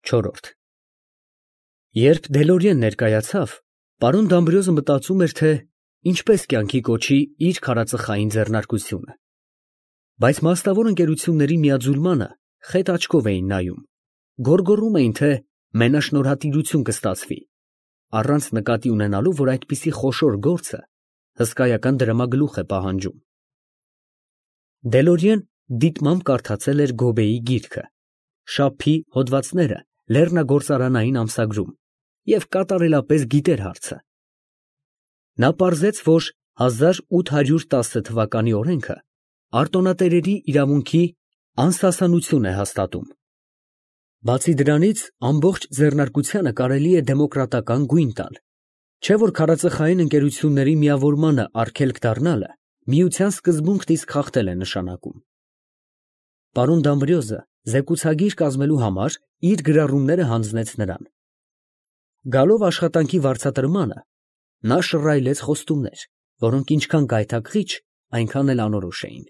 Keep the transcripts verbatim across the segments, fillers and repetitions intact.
Չորրորդ Երբ Դելորիեն ներկայացավ, պարոն Դամբրիոզը մտածում էր, թե ինչպես կյանքի կոչի իր քարածխային ձեռնարկությունը, բայց մասնավոր ընկերությունների միաձուլմանը խետ աչքով էին նայում, գոռգոռում էին, թե մենաշնորհատիրություն կստացվի, առանց նկատի ունենալու, որ այդպիսի խոշոր գործը հսկայական դրամագլուխ է պահանջում։ Դելորիեն դիտմամբ կարդացել էր Գոբեի գիրքը, Շափի հոդվածները լեռնագործարանային ամսագրում և կատարելապես գիտեր հարցը։ Նա պարզեց, որ հազար ութ հարյուր տասը թվականի օրենքը արտոնատերերի իրավունքի անսասանություն է հաստատում։ Բացի դրանից, ամբողջ ձեռնարկությանը կարելի է դեմոկրատական գույն տալ, չէ՞ որ քարածխային ընկերությունների միավորմանը արգելք դառնալը միության սկզբունքն իսկ խախտել է նշանակում։ Պարոն Դամբրիոզը զեկուցագիր կազմելու համար իր գրառումները հանձնեց նրան։ Գալով աշխատանքի վարձատրմանը, նա շռայլեց խոստումներ, որոնք ինչքան գայթակղիչ, այնքան էլ անորոշ էին։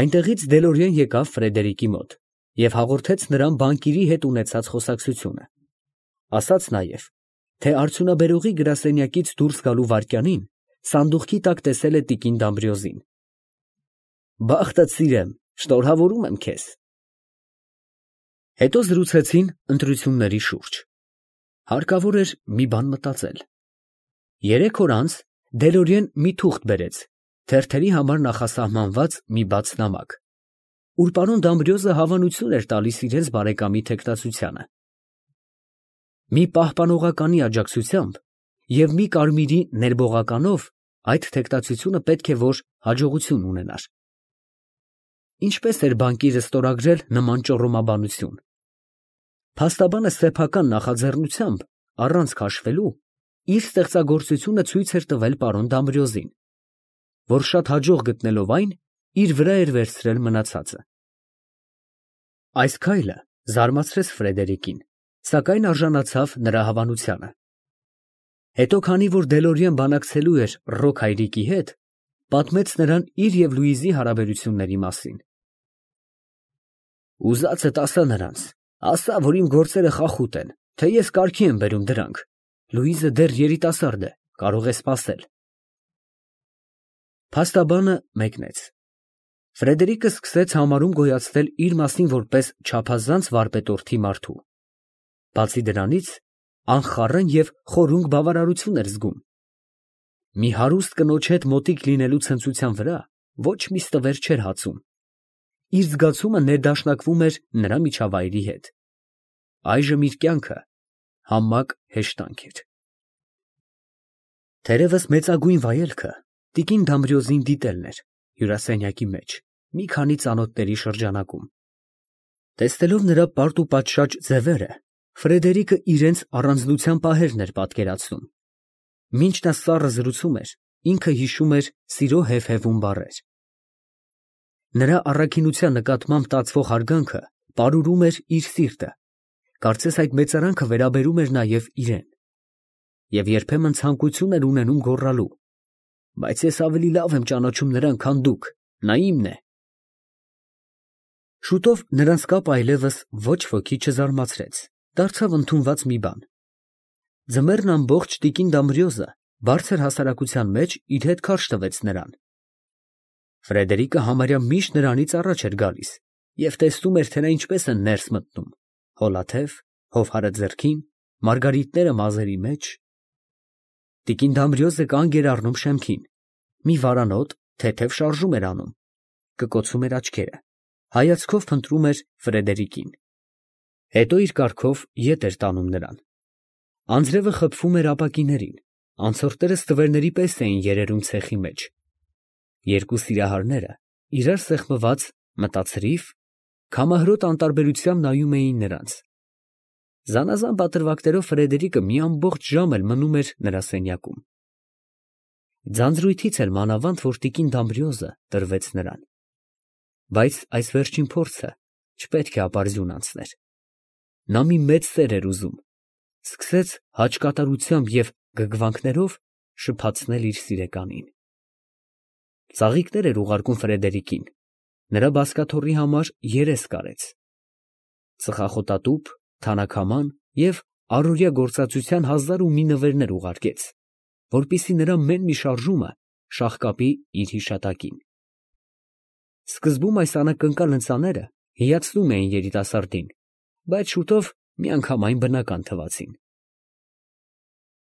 Այնտեղից Դելորիեն եկավ Ֆրեդերիկի մոտ և հաղորդեց նրան բանկիրի հետ ունեցած խոսակցությունը, ասաց նաև, թե արդյունաբերողի գրասենյակից դուրս գալու վայրկյանին սանդուղքի տակ տեսել է տիկին Դամբրիոզին։ Բախտդ սիրեմ, շնորհավորում եմ քեզ։ Հետո զրուցեցին ընտրությունների շուրջ։ Հարկավոր էր մի բան մտածել։ Երեք օր անց Դելորիեն մի թուղթ բերեց, թերթերի համար նախասահմանված մի բաց նամակ, ուր պարոն Դամբրիոզը հավանություն էր տալիս իրենց բարեկամի թեկնածությանը։ Մի պահպանողականի աջակցությամբ և մի կարմիրի ներբողականով այդ թեկնածությունը պետք է որ հաջողություն ունենար։ Ինչպես էր բանկիրը ստորագրել նման ճոռոմաբանություն։ Փաստաբանը սեփական նախաձեռնությամբ, առանց քաշվելու, իր ստեղծագործությունը ցույց էր տվել պարոն Դամբրիոզին, որ շատ հաջող գտնելով այն, իր վրա էր վերցրել մնացածը։ Այս քայլը զարմացրեց Ֆրեդերիկին, սակայն արժանացավ նրա հավանությանը։ Հետո, քանի որ Դելորիեն բանակցելու էր Ռոք հայրիկի հետ, պատմեց նրան իր և Լուիզի հարաբերությունների մասին։ Ուզածդ ասա նրանց, ասա, որ իմ գործերը խախուտ են, թե ես կարգի եմ բերում դրանք, Լուիզը դեռ երիտասարդ է, կարող է սպասել։ Փաստաբանը մեկնեց։ Ֆրեդերիկը սկսեց համարում գոյացնել իր մասին որպես չափազանց վարպետորթի մարդու։ Բացի դրանից, անխառն և խորունկ բավարարություն էր զգում։ Մի հարուստ կնոջ հետ մոտիկ լինելու ցնծության վրա ոչ մի ստվեր չէր հացում։ Իր զգացումը ներդաշնակվում էր նրա միջավայրի հետ։ Այժմ իր կյանքը համակ հեշտանք էր։ Թերևս մեծագույն վայելքը տիկին Դամբրիոզին դիտելն էր հյուրասենյակի մեջ, մի քանի ծանոթների շրջանակում։ Տեսնելով նրա պարտ-ու-պատշաճ ձևերը, Ֆրեդերիկը իրենց առանձնության պահերն էր պատկերացնում։ Մինչ նա սառը զրուցում էր, ինքը հիշում էր սիրո հեվհևուն բառեր։ Նրա առաքինության նկատմամբ տածվող հարգանքը պարուրում էր իր սիրտը, կարծես այդ մեծարանքը վերաբերում էր նաև իրան։ Եվ երբեմն ցանկություն էր ունենում գոռալու. բայց ես ավելի լավ եմ ճանաչում նրան, քան դուք, նա իմն է։ Շուտով նրանց կապը այլևս ոչ ոքի չզարմացրեց, դարձավ ընդունված մի բան։ Ձմեռն ամբողջ տիկին Դամբրիոզը բարձր հասարակության մեջ իր հետ քարշ տվեց նրան։ Ֆրեդերիկը համարյա միշտ նրանից առաջ էր գալիս և տեսնում էր, թե նա ինչպես է ներս մտնում, հոլաթև, հովհարը ձեռքին, մարգարիտները մազերի մեջ։ Տիկին Դամբրիոզը կանգ էր առնում շեմքին, մի վարանոտ թեթև շարժում էր անում, կկոցում էր աչքերը, հայացքով փնտրում էր Ֆրեդերիկին, հետո իր կառքով ետ էր տանում նրան։ Անձրևը խփվում էր ապակիներին, անցորդները ստվերների պես էին երերում ցեխի մեջ։ Երկու սիրահարները, իրար սեղմված, մտացրիվ, քամահրոտ անտարբերությամբ նայում էին նրանց։ Զանազան պատրվակներով Ֆրեդերիկը մի ամբողջ ժամ էլ մնում էր նրա սենյակում։ Ձանձրույթից էր մանավանդ, որ տիկին Դամբրիոզը տրվեց նրան։ Բայց այս վերջին փորձը չպետք է ապարդյուն անցներ։ Նա մի մեծ սեր էր ուզում, սկսեց հաճկատարությամբ և գգվանքներով շփացնել իր սիրեկանին։ Ծաղիկներ էր ուղարկում Ֆրեդերիկին, նրա բազկաթոռի համար երես կարեց։ ծխախոտատուփ, թանաքաման և առօրյա գործածության հազար ու մի նվերներ ուղարկեց, որպեսզի նրա մեն մի շարժումը շաղկապի իր հիշատակին։ Սկզբում այս անակնկալ ընծաները հիացնում էին երիտասարդին, բայց շուտով միանգամայն բնական թվացին։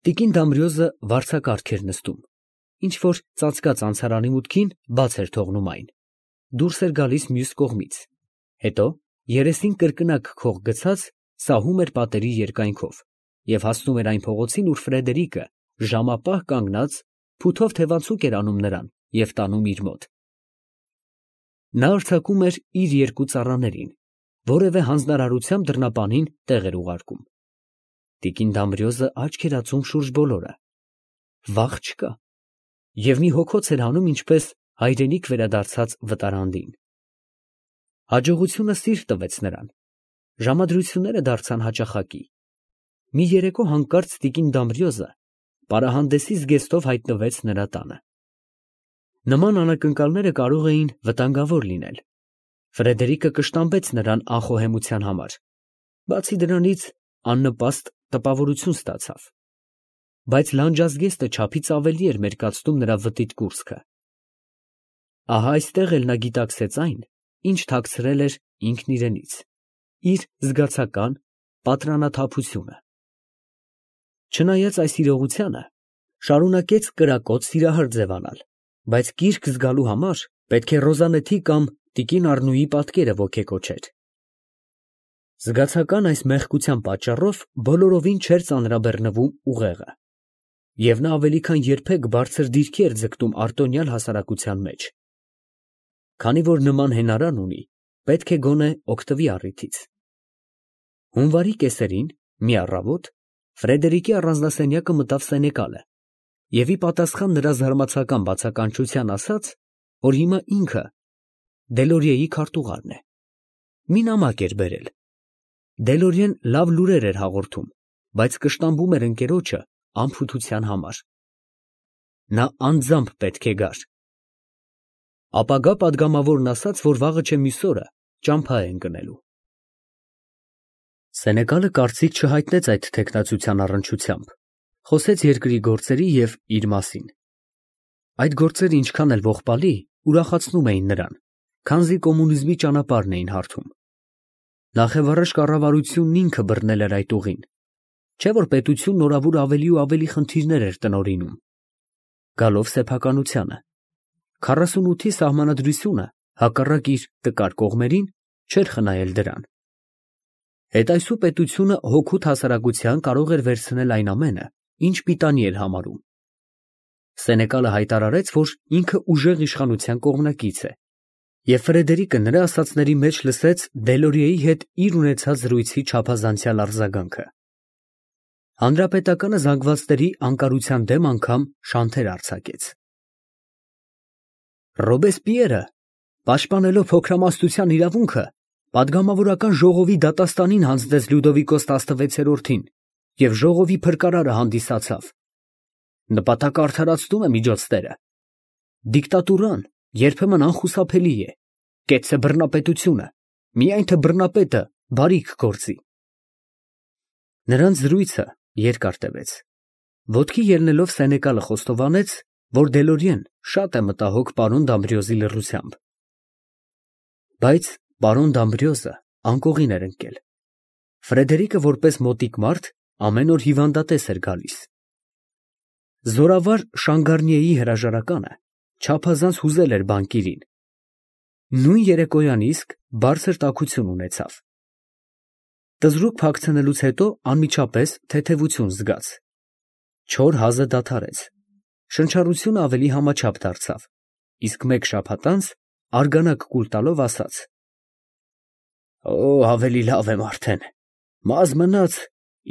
Տիկին Դամրիոզը վարձակարգ էր նստում, ինչ որ ծածկած անցարանի մուտքին բաց էր թողնում այն, դուրս էր գալիս մյուս կողմից, հետո երեսին կրկնակ քող գցած սահում էր պատերի երկայնքով և հասնում էր այն փողոցին, ուր Ֆրեդերիկը ժամապահ կանգնած փութով թևանցուկ էր անում նրան և տանում իր մոտ։ Նա արձակում էր իր երկու ծառաներին, որևէ հանձնարարությամբ դռնապանին տեղ էր ուղարկում։ Տիկին Դամրիոզը աչք էր ածում շուրջ բոլորը, վախ չկա, և մի հոգոց էր հանում ինչպես հայրենիք վերադարձած վտարանդին։ Հաջողությունը սիրտ տվեց նրան, ժամադրությունները դարձան հաճախակի։ Մի երեկո հանկարծ տիկին Դամրիոզը պարահանդեսի զգեստով հայտնվեց նրա տանը։ Նման անակնկալները կարող էին վտանգավոր լինել։ Ֆրեդերիկը կշտամբեց նրան անխոհեմության համար, բացի դրանից աննպաստ տպավորություն ստացավ, բայց լանջազգեստը չափից ավելի էր մերկացնում նրա վտիտ կուրծքը։ Ահա այստեղ էլ նա գիտակցեց այն, ինչ թաքցրել էր ինքն իրենից, իր զգացական պատրանաթափությունը։ Չնայած այս իրողությանը, շարունակեց կրակոտ սիրահար ձևանալ, բայց կիրք զգալու համար պետք է Ռոզանեթի կամ տիկին Առնուի պատկերը ոգեկոչեր։ Զգացական այս մեղքության պատճառով բոլորովին չէր ծանրաբեռնվում ուղեղը, և նա ավելի քան երբեք բարձր դիրքի էր ձգտում արտոնյալ հասարակության մեջ։ Քանի որ նման հենարան ունի, պետք է գոնե օգտվի առիթից։ Հունվարի կեսերին, մի առավոտ, Ֆրեդերիկի առանձնասենյակը մտավ Սենեկալը և ի պատասխան նրա զարմացական բացականչության ասաց, որ հիմա ինքը Դելորիեի քարտուղարն է։ Մի նամակ էր բերել։ Դելորիեն լավ լուրեր էր հաղորդում, բայց կշտամբում էր ընկերոջը անփութության համար։ Նա անձամբ պետք է գար։ Ապագա պատգամավորն ասաց, որ վաղը չէ մյուս օրը ճամփա է ընկնելու։ Սենեկալը կարծիք չհայտնեց այդ թեկնածության առնչությամբ, խոսեց երկրի գործերի և իր մասին։ Այդ գործերը ինչքան էլ ողբալի, ուրախացնում էին նրան, քանզի կոմունիզմի ճանապարհն էին հարթում։ Նախևառաջ կառավարությունն ինքը բռնել էր այդ ուղին, չէ՞ որ պետությունն օրավուր ավելի ու ավելի խնդիրներ էր տնօրինում։ Գալով սեփականությանը, քառասունութի սահմանադրությունը, հակառակ իր տկար կողմերին, չէր խնայել դրան։ Հետայսու պետությունը հօգուտ հասարակության կարող էր վերցնել այն ամենը, ինչ պիտանի էր համարում։ Սենեկալը հայտարարեց, որ ինքը ուժեղ իշխանության կողմնակից է, և Ֆրեդերիկը նրա ասածների մեջ լսեց Դելորիեի հետ իր ունեցած զրույցի չափազանցյալ արձագանքը։ Հանրապետականը զանգվածների անկարության դեմ անգամ շանթեր արձակեց։ Ռոբեսպիերը, պաշտպանելով փոքրամասնության իրավունքը, պատգամավորական ժողովի դատաստանին հանձնեց Լյուդովիկոս տասնվեցերորդին և ժողովի փրկարարը հանդիսացավ։ Նպատակը արդարացնում է միջոցները։ Դիկտատուրան երբեմն անխուսափելի է, կեցցե բռնապետությունը, միայն թե բռնապետը բարիք գործի։ Նրանց զրույցը երկար տևեց։ Ոտքի ելնելով Սենեկալը խոստովանեց, որ Դելորիեն շատ է մտահոգ պարոն Դամբրիոզի լռությամբ։ Բայց պարոն Դամբրիոզը անկողին էր ընկել։ Ֆրեդերիկը որպես մոտիկ մարդ ամեն օր հիվանդատես էր գալիս։ Զորավար Շանգարնիեի հրաժարականը չափազանց հուզել էր բանկիրին։ Նույն երեկոյան իսկ բարձր տաքություն ունեցավ։ Տզրուկ փակցնելուց հետո անմիջապես թեթևություն զգաց։ Չոր հազը դադարեց։ Շնչառությունը ավելի համաչափ դարձավ, իսկ մեկ շաբաթ անց արգանակ կուլ տալով ասաց. «Օ, ավելի լավ եմ արդեն, մազ մնաց,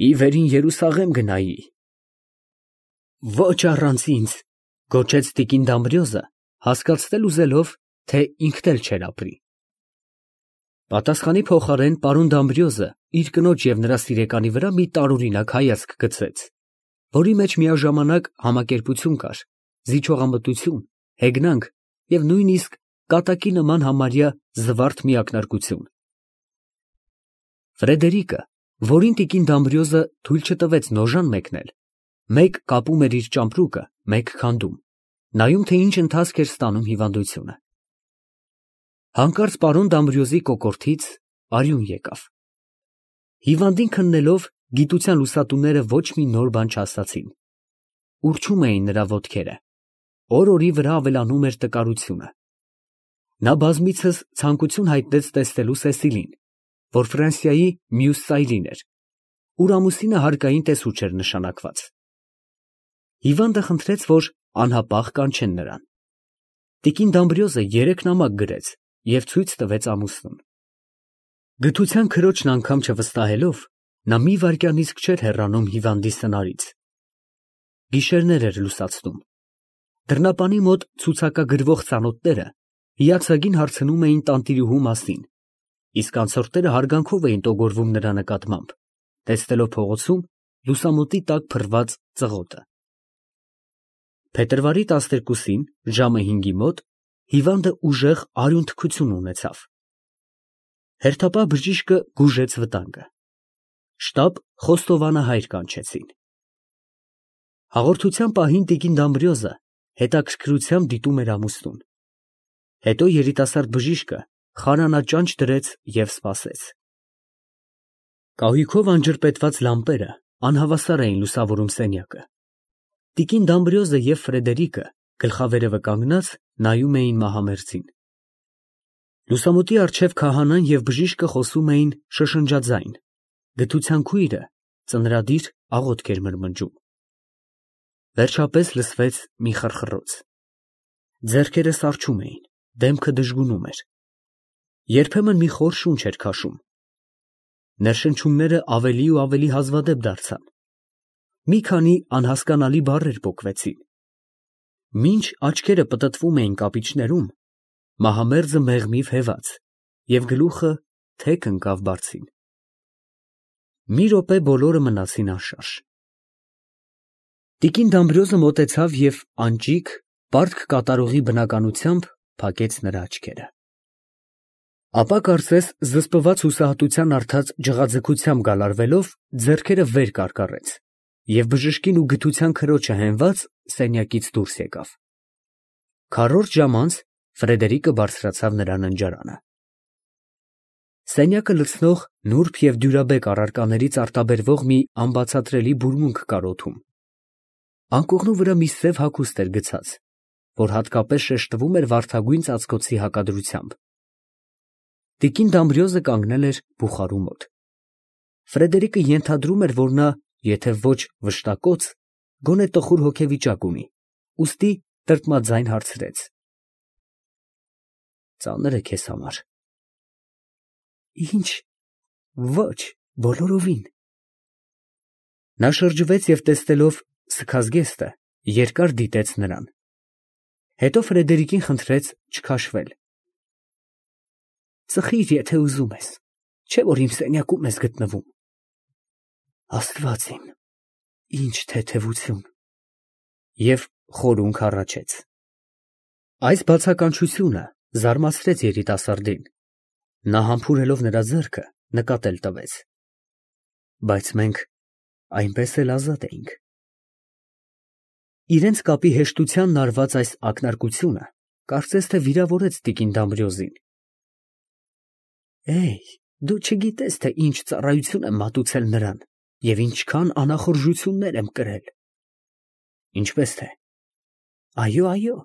ի վերին Երուսաղեմ գնայի»։ «Ոչ առանց ինձ», գոչեց տիկին Դամբրիոզը, հասկացնել ուզելով, թե ինքն էլ չէր ապրի։ Պատասխանի փոխարեն պարոն Դամբրիոզը իր կնոջ և նրա սիրեկանի վրա մի տարօրինակ հայացք գցեց, որի մեջ միաժամանակ համակերպություն կար, զիջողամտություն, հեգնանք և նույնիսկ կատակի նման համարյա զվարթ միակնարկություն։ Ֆրեդերիկը, որին տիկին Դամբրիոզը թույլ չտվեց նոժան մեկնել, մեկ կապում էր իր ճամպրուկը, մեկ քանդում, նայում թե ինչ ընթացք էր ստանում հիվանդությունը։ Հանկարծ պարոն Դամբրիոզի կոկորդից արյուն եկավ։ Հիվանդին քննելով, գիտության լուսատուները ոչ մի նոր բան չասացին։ Ուռչում էին նրա ոտքերը, օր֊օրի վրա ավելանում էր տկարությունը։ Նա բազմիցս ցանկություն հայտնեց տեսնելու Սեսիլին, որ Ֆրանսիայի մյուս ծայրին էր, ուր ամուսինը հարկային տեսուչ էր նշանակված։ Հիվանդը խնդրեց, որ անհապաղ կանչեն նրան։ Տիկին Դամբրիոզը երեք նամակ գրեց և ցույց տվեց ամուսնուն։ Գթության քրոջն անգամ չվստահելով, նա մի վայրկյանիսկ չէր հեռանում հիվանդի սնարից։ Գիշերներ էր լուսացնում։ Դռնապանի մոտ ցուցակագրվող ծանոթները հիացագին հարցնում էին տանտիրուհու մասին, իսկ անցորդները հարգանքով էին տոգորվում նրա նկատմամբ, տեսնելով փողոցում լուսամուտի տակ փռված ծղոտը։ Փետրվարի տասներկուսին ժամը հինգի մոտ հիվանդը ուժեղ արյունթքություն ունեցավ։ Հերթապահ բժիշկը գուժեց վտանգը։ Շտապ խոստովանահայր կանչեցին։ Հաղորդության պահին տիկին Դամբրիոզը հետաքրքրությամբ դիտում էր ամուսնուն։ Հետո երիտասարդ բժիշկը խարանաճանճ դրեց և սպասեց։ Կահույքով անջրպետված լամպերը անհավասար էին լուսավորում սենյակը։ Տիկին Դամբրիոզը և Ֆրեդերիկը գլխավերևը կանգնած նայում էին մահամերձին։ Լուսամուտի առջև քահանան և բժիշկը խոսում էին շշնջաձայն, գթության քույրը ծնրադիր աղոթք էր մրմնջում։ Վերջապես լսվեց մի խռխռոց։ Ձեռքերը սառչում էին, դեմքը դժգունում էր։ Երբեմն մի խոր շունչ էր քաշում։ Ներշնչումները ավելի ու ավելի հազվադեպ դարձան։ Մի քանի անհասկանալի բառեր պոկվեցին։ Մինչ աչքերը պտտվում էին կապիճներում, մահամերձը մեղմիվ հեված և գլուխը թեք ընկավ բարձին։ Մի րոպե բոլորը մնացին անշարժ։ Տիկին Դամբրիոզը մոտեցավ և անճիք, պարտք կատարողի բնականությամբ փակեց նրա աչքերը։ Ապա կարծես զսպված հուսահատության արդած ջղաձգությամբ գալարվելով ձեռքերը վեր կարկառեց և բժշկին ու գթության քրոջը հենված սենյակից դուրս եկավ։ Քառորդ ժամ անց Ֆրեդերիկը բարձրացավ նրա ննջարանը։ Սենյակը լցնող նուրբ և դյուրաբեկ առարկաներից արտաբերվող մի անբացատրելի բուրմունք կար օդում։ Անկողնու վրա մի սև հագուստ էր գցած, որ հատկապես շեշտվում էր վարդագույն ծածկոցի հակադրությամբ։ Տիկին Դամբրիոզը կանգնել էր բուխարու մոտ։ Ֆրեդերիկը ենթադրում էր, որ նա, եթե ոչ վշտակոց, գոնե տխուր հոգեվիճակ ունի, ուստի տրտմաձայն հարցրեց. Ծանր է քեզ համար։ Ինչ, ոչ, բոլորովին։ Նա շրջվեց և տեսնելով սքազգեստը, երկար դիտեց նրան։ Հետո Ֆրեդերիկին խնդրեց չքաշվել։ Ծխիր, եթե ուզում ես, չէ՞ որ իմ սենյակում ես գտնվում։ Աստված իմ, ինչ թեթևություն։ Եվ խորհունք հառաչեց։ Այս բացականչությունը զարմացրեց երիտասարդին։ Նա համբուրելով նրա ձեռքը նկատել տվեց։ Բայց մենք այնպես էլ ազատ էինք։ Իրենց կապի հեշտությանն արված այս ակնարկությունը կարծես թե վիրավորեց տիկին Դամբրիոզին։ Էյ, դու չգիտես, թե ինչ ծառայություն եմ մատուցել նրան և ինչքան անախորժություններ եմ կրել։ Ինչպես թե։ Այո, այո,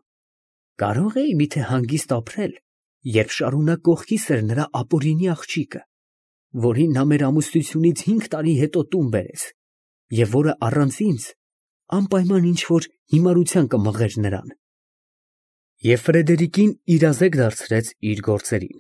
կարող էի միթե հանգիստ ապրել, երբ շարունակ կողքիս էր նրա ապօրինի աղջիկը, որին նա մեր ամուսնությունից հինգ տարի հետո տուն բերեց, և որը առանց ինձ անպայման ինչ֊որ հիմարության կմղեր նրան։ Եվ Ֆրեդերիկին իրազեկ դարձրեց իր գործերին։